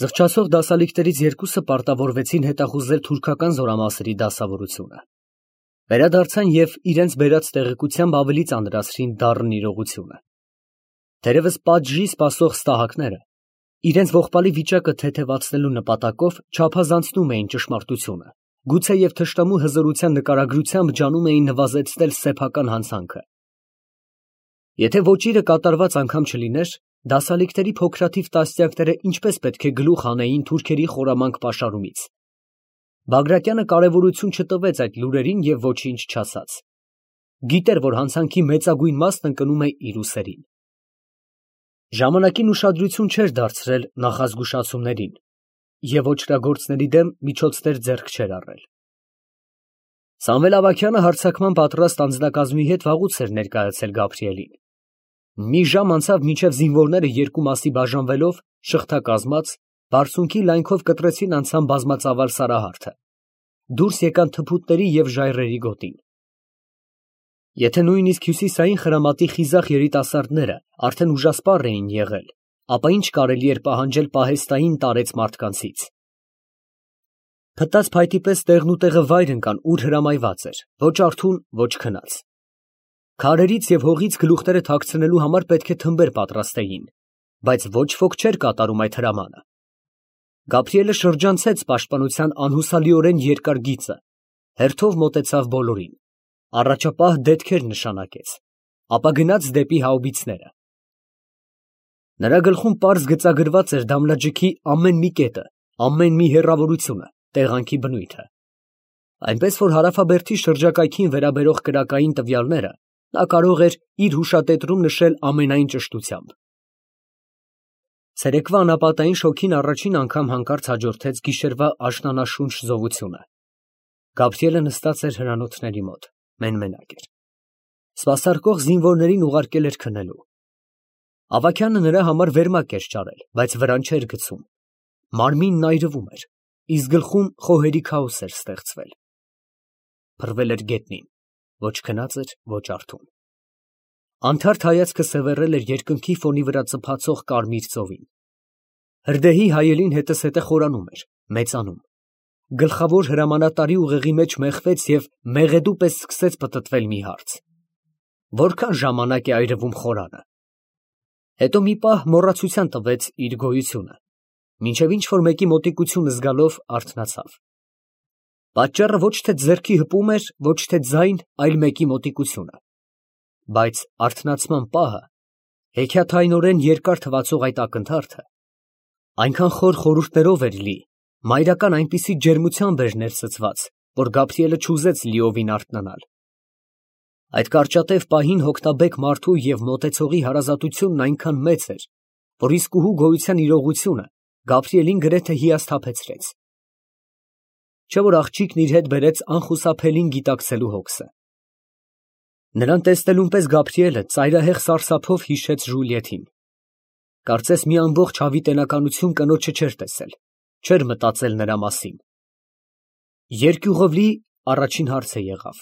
Զղջացող դասալիկներից երկուսը պարտավորվեցին հետախուզել թուրքական զորամասերի դասավորությունը։ Վերադարձան և իրենց բերած տեղեկությամբ ավելի ծանրացրին դառն իրողությունը։ Թերևս պատժի սպասող ստահակները իրենց ողբալի վիճակը թեթևացնելու նպատակով չափազանցնում էին ճշմարտությունը, գուցեև թշնամու հզորության նկարագրությամբ ջանում էին նվազեցնել սեփական հանցանքը։ Եթե ոճիրը կատարված անգամ չլիներ, դասալիկների փոքրաթիվ տասնյակները ինչպես պետք է գլուխ հանեին թուրքերի խորամանկ պաշարումից։ Բագրատյանը կարևորություն չտվեց այդ լուրերին և ոչինչ չասաց։ Գիտեր, որ հանցանքի մեծագույն մասն ընկնում է իր ուսերին։ Ժամանակին ուշադրություն չէր դարձրել նախազգուշացումներին և ոճրագործների դեմ միջոցներ ձեռք չէր առել։ Սամվել Ավագյանը հարձակման պատրաստ անձնակազմի հետ վաղուց էր ներկայացել Գաբրիելին։ Մի ժամ անցավ, մինչև զինվորները երկու մասի բաժանվելով, շղթակազմած, բարձունքի լայնքով կտրեցին անցան բազմածավալ Սարահարթը, դուրս եկան թփուտների և ժայռերի գոտին։ Եթե նույնիսկ հյուսիսային խրամատի խիզախ երիտասարդները արդեն ուժասպառ էին եղել, ապա ինչ կարելի էր պահանջել պահեստային տարեց մարդկանցից։ Փտած փայտի պես տեղնուտեղը վայր ընկան, ուր հրամայված էր, ոչ արթուն, ոչ քնած։ Քարերից և հողից գլուխները թաքցնելու համար պետք է թմբեր պատրաստեին, բայց ոչ ոք չէր կատարում այդ հրամանը։ Գաբրիելը շրջանցեց պաշտպանության անհուսալիորեն երկար գիծը, հերթով մոտեցավ բոլորին, առաջապահ դետքեր նշանակեց, ապա գնաց դեպի հաուբիցները։ Նրա գլխում պարզ գծագրված էր դամլաջիքի ամեն մի կետը, ամեն մի հեռավորությունը, տեղանքի բնույթը։ Այնպես որ հարավաբերդի շրջակայքին վերաբերող կրակային տվյալները նա կարող էր իր հուշատետրում նշել ամենայն ճշտությամբ։ Ցերեկվա անապատային շոգին առաջին անգամ հանկարծ հաջորդեց գիշերվա աշնանաշունչ զովությունը։ Գաբրիելը նստած էր հրանոթների մոտ, մեն֊մենակ էր։ Սպասարկող զինվորներին ուղարկել էր քնելու։ Ավագյանը նրա համար վերմակ էր ճարել, բայց վրան չէր գցում։ Մարմինն այրվում էր, իսկ գլխում խոհերի քաոս էր ստեղծվել։ Փռվել էր գետնին, ոչ քնած էր, ոչ արթուն։ Անթարթ հայացքը սևեռել էր երկնքի ֆոնի վրա ծփացող կարմիր ծովին։ Հրդեհի հայելին հետզհետե խորանում էր, մեծանում։ Գլխավոր հրամանատարի ուղեղի մեջ մեխվեց և մեղեդու պես սկսեց պտտվել մի հարց. որքան ժամանակ է այրվում խորանը։ Հետո մի պահ մոռացության տվեց իր գոյությունը, մինչև ինչ-որ մեկի մոտիկությունը զգալով արթնացավ։ Պատճառը ոչ թե ձեռքի հպում էր, ոչ թե ձայն, այլ մեկի մոտիկությունը։ Բայց արթնացման պահը, հեքիաթայինորեն երկար թվացող այդ ակնթարթը, այնքան խոր խորհուրդներով էր լի, մայրական այնպիսի ջերմությամբ էր ներծծված, որ Գաբրիելը չուզեց լիովին արթնանալ։ Այդ կարճատև պահին հոգնաբեկ մարդու և մոտեցողի հարազատությունն այնքան մեծ էր, որ իսկուհու գոյության իրողությունը Գաբրիելին գրեթե հիասթափեցրեց։ Չէ՞ որ աղջիկն իր հետ բերեց անխուսափելին գիտակցելու հոգսը։ Նրան տեսնելուն պես Գաբրիելը ծայրահեղ սարսափով հիշեց Ժուլիետին։ Կարծես մի ամբողջ հավիտենականություն կնոջը չէր տեսել, չէր մտածել նրա մասին։ Երկյուղովլի առաջին հարցը եղավ.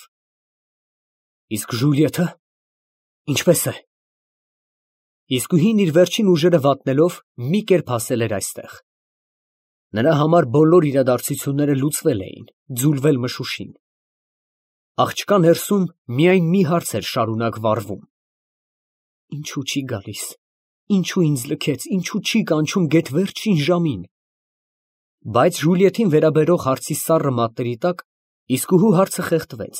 Իսկ Ժուլիետը ինչպե՞ս է։ Իսկուհին իր վերջին ուժերը վատնելով մի կերպ ասել էր այստեղ։ Նրա համար բոլոր իրադարձությունները լուծվել էին, ձուլվել մշուշին։ Աղջկա ներսում միայն մի հարց էր շարունակ վառվում. ինչու չի գալիս, ինչու ինձ լքեց, ինչու չի կանչում գեթ վերջին ժամին։ Բայց Ժուլիետին վերաբերող հարցի սառը մատների տակ իսկուհու հարցը խեղդվեց,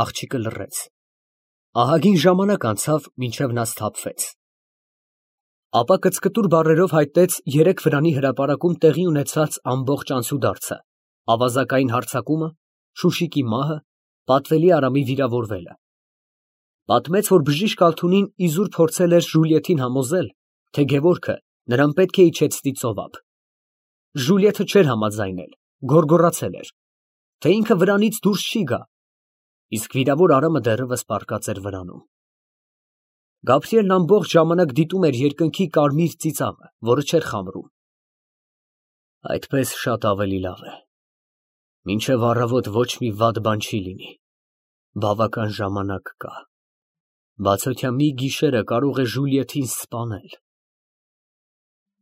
աղջիկը լռեց։ Ահագին ժամանակ անցավ, մինչև նա սթափվեց։ Ապա կծկտուր բառերով հայտնեց երեք վրանի հրապարակում տեղի ունեցած ամբողջ անցուդարձը, ավազակային հարձակումը, Շուշիկի մահը, պատվելի Արամի վիրավորվելը։ Պատմեց, որ բժիշկ Ալթունին իզուր փորձել էր Ժուլիետին համոզել, թե Գևորգը նրան պետք է իջեցնի ծովափ։ Ժուլիետը չէր համաձայնել, գոռգոռացել էր, թե ինքը վրանից դուրս չի գա, իսկ վիրավոր Արամը դեռևս պառկած էր վրանում։ Գաբրիելն ամբողջ ժամանակ դիտում էր երկնքի կարմիր ծիծաղը, որը չէր խամրում։ Այդպես շատ ավելի լավ է։ Մինչև առավոտ ոչ մի վատ բան չի լինի, բավական ժամանակ կա։ Բացօթյա մի գիշերը կարող է Ժուլիետին սպանել։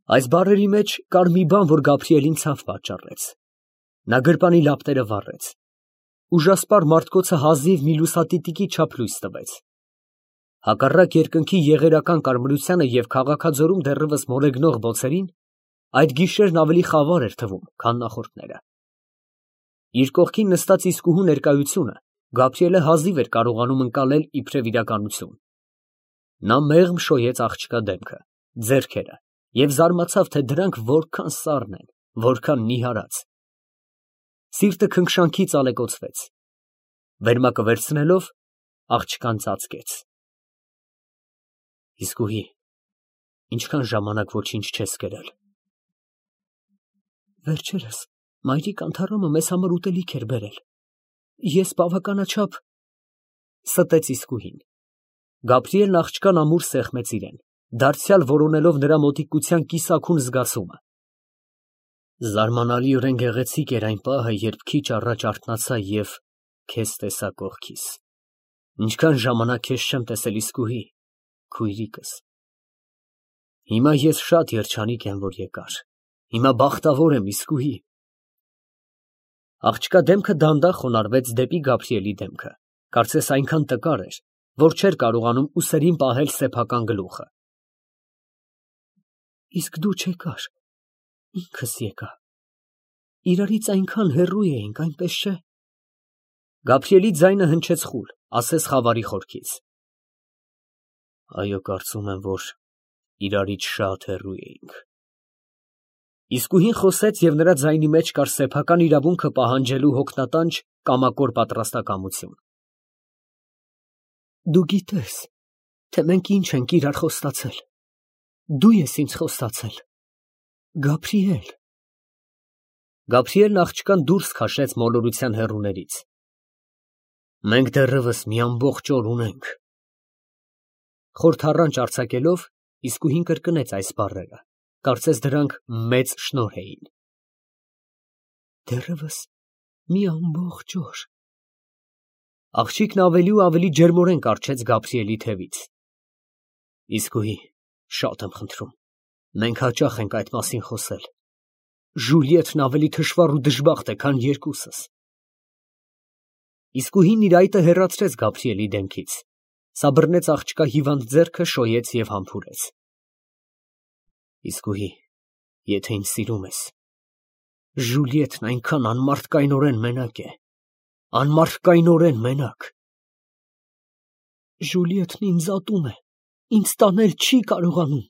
Այս բառերի մեջ կար մի բան, որ Գաբրիելին ցավ պատճառեց. նա գրպանի լապտերը վառեց, ուժասպառ մարդկոցը հազիվ մի լուսատիտիկի չափ լույս տվեց։ Հակառակ երկնքի եղերական կարմրությանը և քաղաքաձորում դեռևս մոլեգնող բոցերին, այդ գիշերն ավելի խավար էր թվում, քան նախորդները։ Իր կողքին նստած իսկուհու ներկայությունը Գաբրիելը հազիվ էր կարողանում ընկալել իբրև իրականություն։ Նա մեղմ շոյեց աղջկա դեմքը, ձեռքերը և զարմացավ, թե դրանք որքան սառն են, որքան նիհարած։ Սիրտը քնքշանքից ալեկոծվեց։ Վերմակը վերցնելով, աղջկան ծածկեց։ Իսկուհի, ինչքան ժամանակ ոչինչ չես կերել։ Վերջերս մայրիկ Անթարամը մեզ համար ուտելիք էր բերել։ Ես բավականաչափ ստեց իսկուհին։ Գաբրիելն աղջկան ամուր սեղմեց իրեն, դարձյալ որոնելով նրա մոտիկության կիսաքուն զգացումը։ Զարմանալիորեն գեղեցիկ էր այն պահը, երբ քիչ առաջ արթնացա և քեզ տեսա կողքիս։ Ինչքան ժամանակ քեզ չեմ տեսել, իսկուհի, քույրիկս։ Հիմա ես շատ երջանիկ եմ, որ եկար։ Հիմա բախտավոր եմ, իսկուհի։ Աղջկա դեմքը դանդաղ խոնարհվեց դեպի Գաբրիելի դեմքը, կարծես այնքան տկար էր, որ չէր կարողանում ուսերին պահել սեփական գլուխը։ Իսկ դու չեկար, ինքս եկա։ Իրարից այնքան հեռու էինք, այնպես չէ։ Գաբրիելի ձայնը հնչեց խուլ, ասես խավարի խորքից։ Այո, կարծում եմ, որ իրարից շատ հեռու էինք։ Իսկուհին խոսեց, և նրա ձայնի մեջ կար սեփական իրավունքը պահանջելու հոգնատանջ կամակոր պատրաստակամություն։ Դու գիտես, թե մենք ինչ ենք իրար խոստացել։ Դու ես ինձ խոստացել, Գաբրիել։ Գաբրիելն աղջկան դուրս քաշեց մոլորության հեռուներից։ Մենք դեռևս մի ամբողջ օր ունենք։ Խորթառանչ արձակելով, իսկուհին կրկնեց այս բառերը, կարծես դրանք մեծ շնորհ էին։ Դեռևս մի ամբողջ օր։ Աղջիկն ավելի ու ավելի ջերմորեն կառչեց Գաբրիելի թևից։ Իսկուհի, շատ եմ խնդրում, մենք հաճախ ենք այդ մասին խոսել։ Ժուլիետն ավելի թշվառ ու դժբախտ է, քան երկուսս։ Իսկուհին իր այտը հեռացրեց Գաբրիելի դեմքից, սաբռնեց աղջկա հիվանդ ձեռքը, շոյեց և համբուրեց։ Իսկուհի, եթե ինձ սիրում ես, Ժուլիետն այնքան անմարդկայնորեն մենակ է, անմարդկայնորեն մենակ։ Ժուլիետն ինձ ատում է, ինձ տանել չի կարողանում,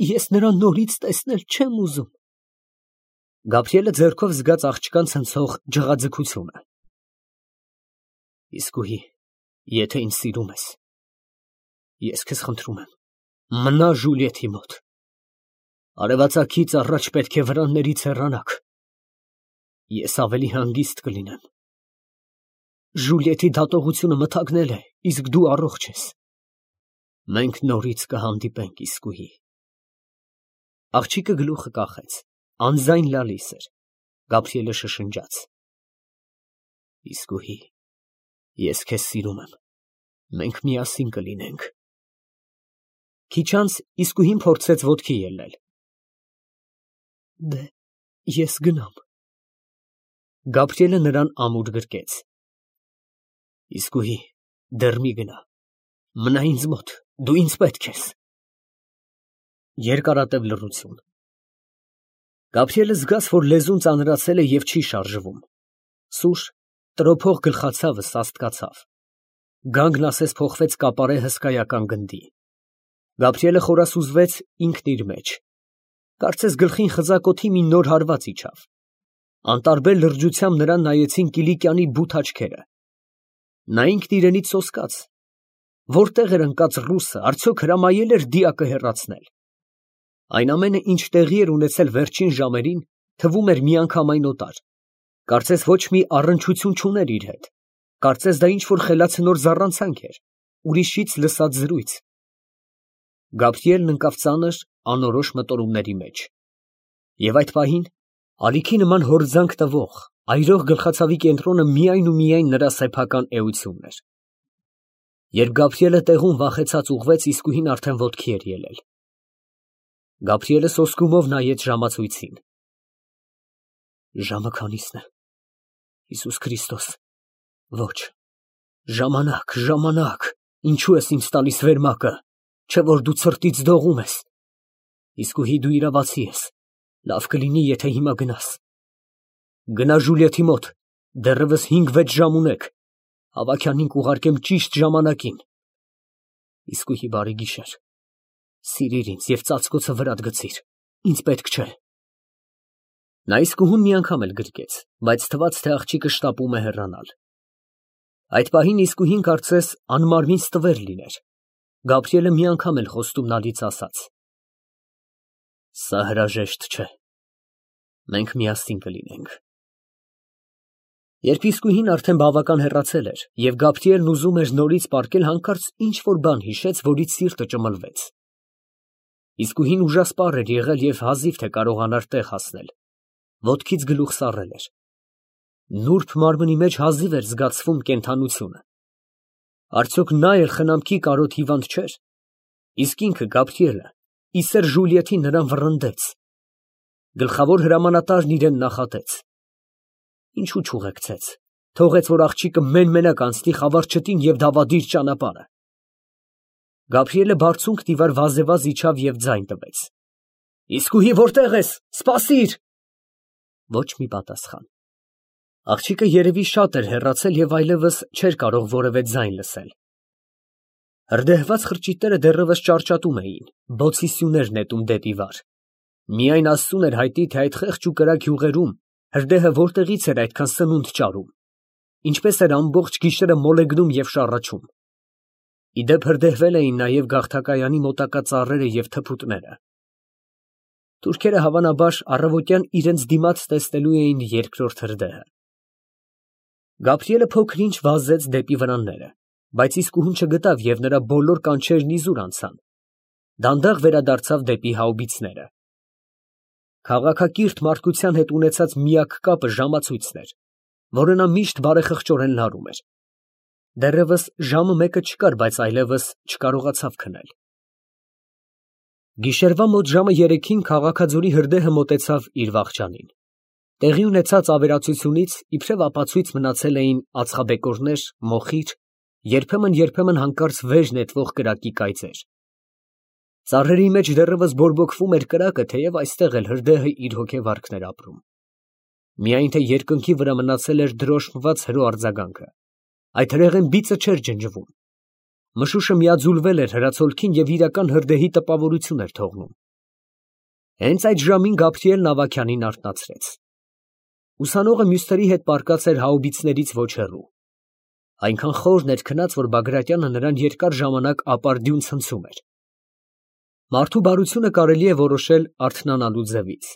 ես նրան նորից տեսնել չեմ ուզում։ Գաբրիելը ձեռքով զգաց աղջկան ցնցող ջղաձգությունը։ Իսկուհի, եթե ինձ սիրում ես, ես քեզ խնդրում եմ, մնա Ժուլիետի մոտ։ Արևածագից առաջ պետք է վրաններից հեռանաք։ Ես ավելի հանգիստ կլինեմ։ Ժուլիետի դատողությունը մթագնել է, իսկ դու առողջ ես։ Մենք նորից կհանդիպենք, իսկուհի։ Աղջիկը գլուխը կախեց, անձայն լալիս էր։ Գաբրիելը շշնջաց. Իսկուհի, ես քեզ սիրում եմ, մենք միասին կլինենք։ Քիչ անց իսկուհին փորձեց ոտքի ելնել։ Դե, ես գնամ։ Գաբրիելը նրան ամուր գրկեց։ Իսկուհի, դեռ մի գնա, մնա ինձ մոտ, դու ինձ պետք ես։ Երկարատև լռություն։ Գաբրիելը զգաց, որ լեզուն ծանրացել է և չի շարժվում։ Սուր, տրոփող գլխացավը սաստկացավ։ Գանգն ասես փոխվեց կապարե հսկայական գնդի։ Գաբրիելը խորասուզվեց ինքն իր մեջ։ Կարծես գլխին խձակոթի մի նոր հարված իջավ։ Անտարբեր լրջությամբ նրան նայեցին Կիլիկյանի բութ աչքերը։ Նա ինքն իրենից սոսկաց։ Որտեղ էր ընկած ռուսը, արդյոք հրամայել էր դիակը հեռացնել։ Այն ամենը, ինչ տեղի էր ունեցել վերջին ժամերին, թվում էր միանգամայն օտար։ Կարծես ոչ մի առնչություն չուներ իր հետ։ Կարծես դա ինչ-որ խելացնոր զառանցանք էր, ուրիշից լսած զրույց։ Գաբրիելն ընկավ ծանր, անորոշ մտորումների մեջ։ Եվ այդ պահին ալիքի նման հորձանք տվող, այրող գլխացավի կենտրոնը միայն ու միայն նրա սեփական էությունն էր։ Երբ Գաբրիելը տեղում վախեցած ուղղվեց, իսկուհին արդեն ոտքի էր ելել։ Գաբրիելը սոսկումով նայեց ժամացույցին։ Ժամը քանիսն է։ Հիսուս Քրիստոս։ Ոչ։ Ժամանակ, ժամանակ։ Ինչու ես ինձ տալիս վերմակը, չէ որ դու ցրտից դողում ես։ Իսկույի դու իրավացի ես։ Լավ կլինի, եթե հիմա գնաս։ Գնա Ժուլիեթի մոտ, դեռևս 5-6 ժամ ունեք։ Ավագյանին կուղարկեմ ճիշտ ժամանակին։ Իսկույի բարի գիշեր։ Սիրիր ինձ և ծածկոցը վրատ գցիր, ինձ պետք չէ։ Նա իսկուհուն մի անգամ էլ գրկեց, բայց թվաց, թե աղջիկը շտապում է հեռանալ։ Այդ պահին իսկուհին կարծես անմարմին ստվեր լիներ։ Գաբրիելը մի անգամ էլ խոստումնալից ասաց. Սա հրաժեշտ չէ։ Մենք միասին կլինենք։ Երբ իսկուհին արդեն բավական հեռացել էր, և Գաբրիելն ուզում էր նորից պառկել, հանկարծ ինչ-որ բան հիշեց, որից սիրտը ճմլվեց։ Իսկուհին ուժասպառ էր եղել և հազիվ թե կարողանար տեղ հասնել։ Ոտքից գլուխ սառել էր։ Նուրբ մարմնի մեջ հազիվ էր զգացվում կենդանությունը։ Արդյոք նա էլ խնամքի կարոտ հիվանդ չէր։ Իսկ ինքը Գաբրիելը իսեր Ժուլիեթին նրան վռնդեց։ Գլխավոր հրամանատարն իրեն նախատեց։ Ինչու չուղեկցեց, թողեց, որ աղջիկը մեն֊մենակ անցնի խավարչտին և դավադիր ճանապարհը։ Գաբրիելը բարձունք դիվար վազևազ իջավ և ձայն տվեց. Իսկույի որտե՞ղ ես, սպասիր։ Ոչ մի պատասխան։ Աղջիկը երևի շատ էր հեռացել և այլևս չէր կարող որևէ ձայն լսել։ Հրդեհված խրճիթները դեռևս ճարճատում էին, բոցի սյուներ նետում դեպի վար։ Միայն Աստծուն էր հայտնի, թե այդ խեղճ ու կրակ յուղերում հրդեհը որտեղից էր այդքան սնունդ ճարում, ինչպես էր ամբողջ գիշերը մոլեգնում և շառաչում։ Ի դեպ հրդեհվել էին նաև գաղթակայանի մոտակա ծառերը և թփուտները։ Թուրքերը հավանաբար առավոտյան իրենց դիմաց տեսնելու էին երկրորդ հրդեհը։ Գաբրիելը փոքր-ինչ վազեց դեպի վրանները, բայց իսկուհուն չգտավ և նրա բոլոր կանչերն իզուր անցան։ Դանդաղ վերադարձավ դեպի հաուբիցները։ Քաղաքակիրթ մարդկության հետ ունեցած միակ կապը ժամացույցն էր, որը նա միշտ բարեխղճորեն լարում էր։ Դեռևս ժամը մեկը չկար, բայց այլևս չկարողացավ քնել։ Գիշերվա մոտ ժամը 3-ին քաղաքաձորի հրդեհը մոտեցավ իր վախճանին։ Տեղի ունեցած ավերածությունից իբրև ապացույց մնացել էին ածխաբեկորներ, մոխիր, երբեմն հանկարծ վեր նետվող կրակի կայծեր։ Ծառերի մեջ դեռևս բորբոքվում էր կրակը, թեև այստեղ էլ հրդեհը իր հոգեվարքն էր ապրում։ Միայն թե երկնքի վրա մնացել էր դրոշմված հրո արձագանքը։ Այդ հրեղեն բիծը չէր ջնջվում։ Մշուշը միաձուլվել էր հրացոլքին և իրական հրդեհի տպավորություն էր թողնում։ Հենց այդ ժամին Գաբրիելն ավագյանին արթնացրեց։ Ուսանողը մյուսների հետ պառկած էր հաուբիցներից ոչ հեռու։ Այնքան խորն էր քնած, որ Բագրատյանը նրան երկար ժամանակ ապարդյուն ցնցում էր։ Մարդու բարությունը կարելի է որոշել արթնանալու ձևից։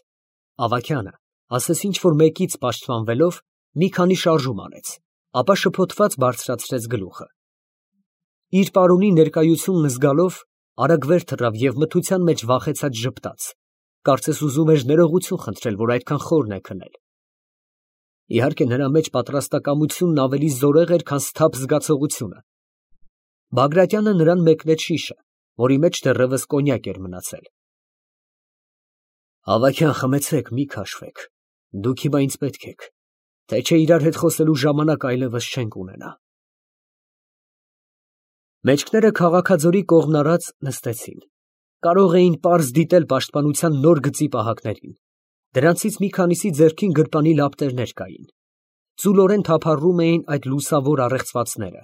Ավագյանը, ասես ինչ-որ մեկից պաշտպանվելով, մի քանի շարժում արեց, ապա շփոթված բարձրացրեց գլուխը։ Իր պարոնի ներկայությունն զգալով արագ վեր թռավ և մթության մեջ վախեցած ժպտաց, կարծես ուզում էր ներողություն խնդրել, որ այդքան խորն է քնել։ Իհարկե նրա մեջ պատրաստակամությունն ավելի զորեղ էր, քան սթափ զգացողությունը։ Բագրատյանը նրան մեկնեց շիշը, որի մեջ դեռևս կոնյակ էր մնացել։ Ավագյան, խմեցեք, մի քաշվեք, դուք հիմա ինձ պետք եք, թե չէ իրար հետ խոսելու ժամանակ այլևս չենք ունենա։ Մեջքները քաղաքաձորի կողմն արած նստեցին։ Կարող էին պարզ դիտել պաշտպանության նոր գծի պահակներին։ Դրանցից մի քանիսի ձեռքին գրպանի լապտերներ կային։ Ծուլորեն թափառում էին այդ լուսավոր առեղծվածները։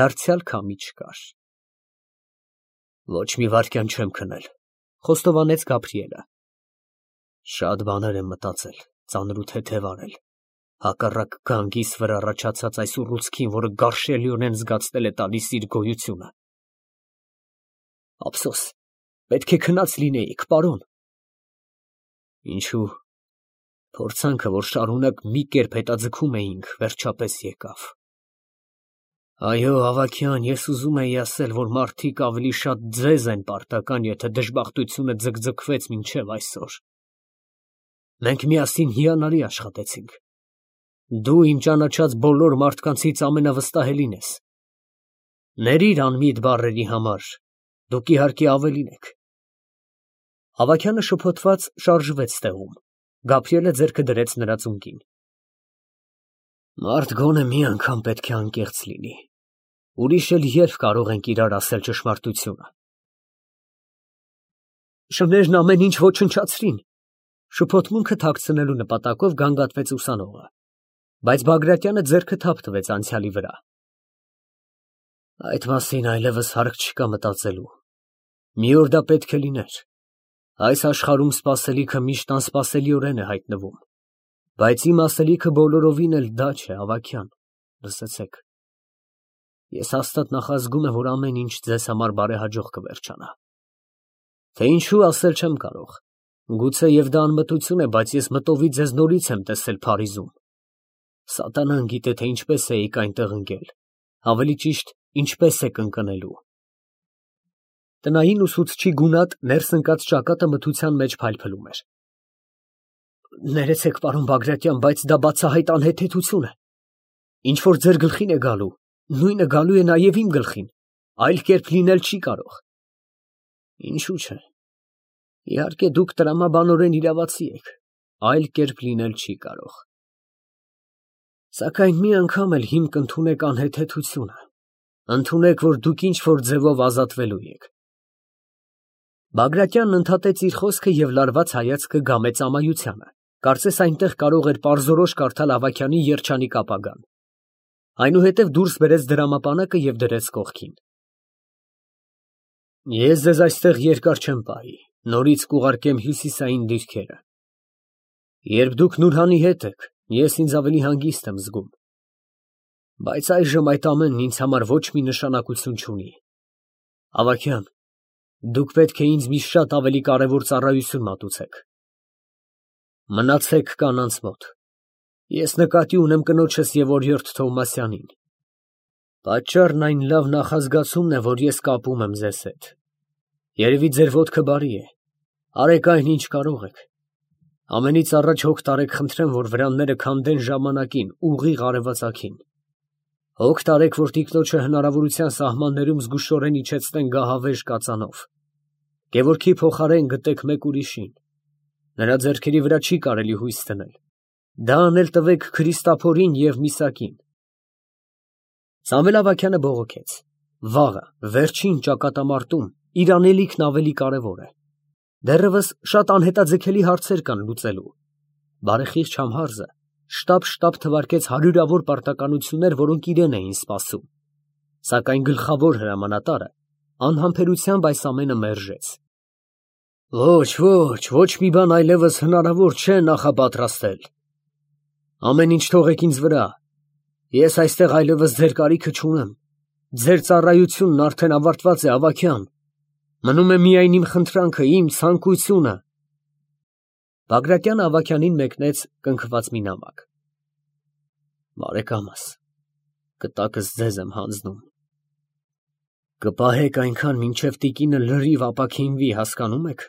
Դարձյալ քամի չկար։ Ոչ մի վայրկյան չեմ քնել, խոստովանեց Գաբրիելը։ Շատ բաներ եմ մտածել, ծանր ու թեթև արել։ Հակառակ գանգիս վրա առաջացած այս ուռուցքին, որը գարշելիորեն զգացնել է տալիս իր գոյությունը։ Ափսոս, պետք է քնած լինեիք, պարոն։ Ինչու՞։ Փորձանքը, որ շարունակ մի կերպ հետաձգում էինք, վերջապես եկավ։ Այո, ավագյան, ես ուզում էի ասել, որ մարդիկ ավելի շատ ձեզ են պարտական, եթե դժբախտությունը ձգձգվեց մինչև այսօր։ Մենք միասին հիանալի աշխատեցինք։ Դու իմ ճանաչած բոլոր մարդկանցից ամենավստահելին ես։ Ներիր անմիտ բառերի համար, դուք իհարկե ավելին եք։ Ավագյանը շփոթված շարժվեց տեղում։ Գաբրիելը ձեռքը դրեց նրա ծունկին։ Մարդ գոնե մի անգամ պետք է անկեղծ լինի։ Ուրիշ էլ երբ կարող ենք իրար ասել ճշմարտությունը։ Շներն ամեն ինչ ոչնչացրին։ Շփոթմունքը թաքցնելու նպատակով գանգատվեց ուսանողը, բայց Բագրատյանը ձեռքը թափ տվեց անցյալի վրա։ Այդ մասին այլևս հարկ չկա մտածելու։ Մի օր դա պետք է լիներ։ Այս աշխարհում սպասելիքը միշտ անսպասելիորեն է հայտնվում, բայց իմ ասելիքը բոլորովին էլ դա չէ, Ավագյան, լսեցեք։ Ես հաստատ նախազգում եմ, որ ամեն ինչ ձեզ համար բարեհաջող կվերջանա։ Թե ինչու ասել չեմ կարող։ Գուցե եւ դա անմտություն է, բայց ես մտովի ձեզ նորից եմ տեսել Փարիզում։ Սատանան գիտե, թե ինչպես էիք այնտեղ ընկել, ավելի ճիշտ, ինչպես եք ընկնելու։ Տնային ուսուցչի գունատ ներս ընկած ճակատը մթության մեջ փայլփլում էր։ Ներեցեք, պարոն Բագրատյան, բայց դա բացահայտ անհեթեթություն է։ Ինչ որ ձեր գլխին է գալու, նույնը գալու է նաև իմ գլխին, այլ կերպ լինել չի կարող։ Ինչու՞ չէ։ Իհարկե դուք տրամաբանորեն իրավացի եք, այլ կերպ լինել չի կարող։ Սակայն մի անգամ էլ հիմք ընդունեք անհեթեթությունը, ընդունեք, որ դուք ինչ որ ձևով ազատվելու եք։ Բագրատյանն ընդհատեց իր խոսքը և լարված հայացքը գամեց ամայությանը, կարծես այնտեղ կարող էր պարզորոշ կարդալ Ավագյանի երջանիկ ապագան։ Այնուհետև դուրս բերեց դրամապանակը և դրեց կողքին։ Ես ձեզ այստեղ երկար չեմ պահի, նորից կուղարկեմ հյուսիսային դիրքերը։ Երբ դուք Նուրհանի հետ եք, ես ինձ ավելի հանգիստ եմ զգում։ Բայց այժմ այդ ամենն ինձ համար ոչ մի նշանակություն չունի։ Ավագյան, դուք պետք է ինձ մի շատ ավելի կարևոր ծառայություն մատուցեք։ Մնացեք կանանց մոտ։ Ես նկատի ունեմ կնոջս և օրիորդ Թովմասյանին։ Պատճառն այն լավ նախազգացումն է, որ ես կապում եմ ձեզ հետ։ Երևի ձեր ոտքը բարի է։ Արեք այն, ինչ կարող եք։ Ամենից առաջ հոգ տարեք, խնդրեմ, որ վրանները քանդեն ժամանակին, ուղիղ արևածագին։ Հոգ տարեք, որ տիկնոջը հնարավորության սահմաններում զգուշորեն իջեցնեն գահավեժ կածանով։ Գևորգի փոխարեն գտեք մեկ ուրիշին։ Նրա ձեռքերի վրա չի կարելի հույս դնել։ Դա անել տվեք Քրիստափորին և Միսակին։ Սամվել Ավագյանը բողոքեց։ Վաղը, վերջին ճակատամարտում, իր անելիքն ավելի կարևոր է։ Դեռևս շատ անհետաձգելի հարցեր կան լուծելու։ Բարեխիղճ Համհարզը շտապ թվարկեց հարյուրավոր պարտականություններ, որոնք իրեն էին սպասում։ Սակայն գլխավոր հրամանատարը անհամբերությամբ այս ամենը մերժեց։ Ոչ մի բան այլևս հնարավոր չէ նախապատրաստել։ Ամեն ինչ թողեք ինձ վրա։ Ես այստեղ այլևս ձեր կարիքը չունեմ։ Ձեր ծառայությունն արդեն ավարտված է, Ավագյան։ Մնում է միայն իմ խնդրանքը, իմ ցանկությունը։ Բագրատյանը Ավագյանին մեկնեց կնքված մի նամակ։ Բարեկամս, կտակս ձեզ եմ հանձնում։ Կպահեք այնքան, մինչև տիկինը լրիվ ապաքինվի, հասկանում եք։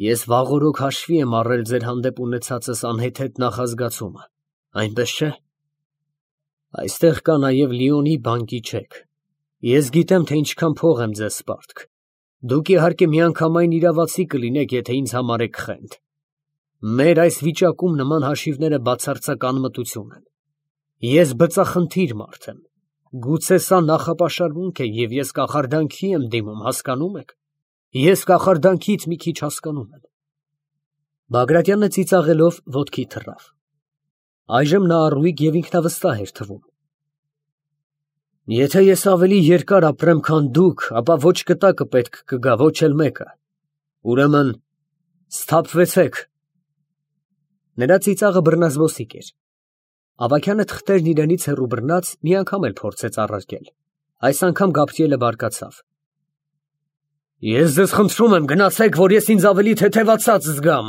Ես վաղօրոք հաշվի եմ առել ձեր հանդեպ ունեցածս անհեթեթ նախազգացումը, այնպես չէ։ Այստեղ կա նաև Լիոնի բանկի չեք։ Ես գիտեմ, թե ինչքան փող եմ ձեզ սպարտք։ Դուք իհարկե միանգամայն իրավացի կլինեք, եթե ինձ համարեք խենթ։ Մեր այս վիճակում նման հաշիվները բացարձակ անմտություն են։ Ես բծախնդիր մարդ եմ։ Գուցե սա նախապաշարմունք է, և ես կախարդանքի եմ դիմում, հասկանում եք։ Ես կախարդանքից մի քիչ հասկանում եմ։ Բագրատյանը ծիծաղելով ոտքի թռավ։ Այժմ նա առույգ և ինքնավստահ էր թվում։ Եթե ես ավելի երկար ապրեմ, քան դուք, ապա ոչ կտակը պետք կգա, ոչ էլ մեկը։ Ուրեմն սթափվեցեք։ Նրա ծիծաղը բռնազբոսիկ էր։ Ավագյանը թղթերն իրենից հեռու բռնած մի անգամ էլ փորձեց առարկել։ Այս անգամ Գաբրիելը բարկացավ։ Ես ձեզ խնդրում եմ, գնացեք, որ ես ինձ ավելի թեթևացած զգամ։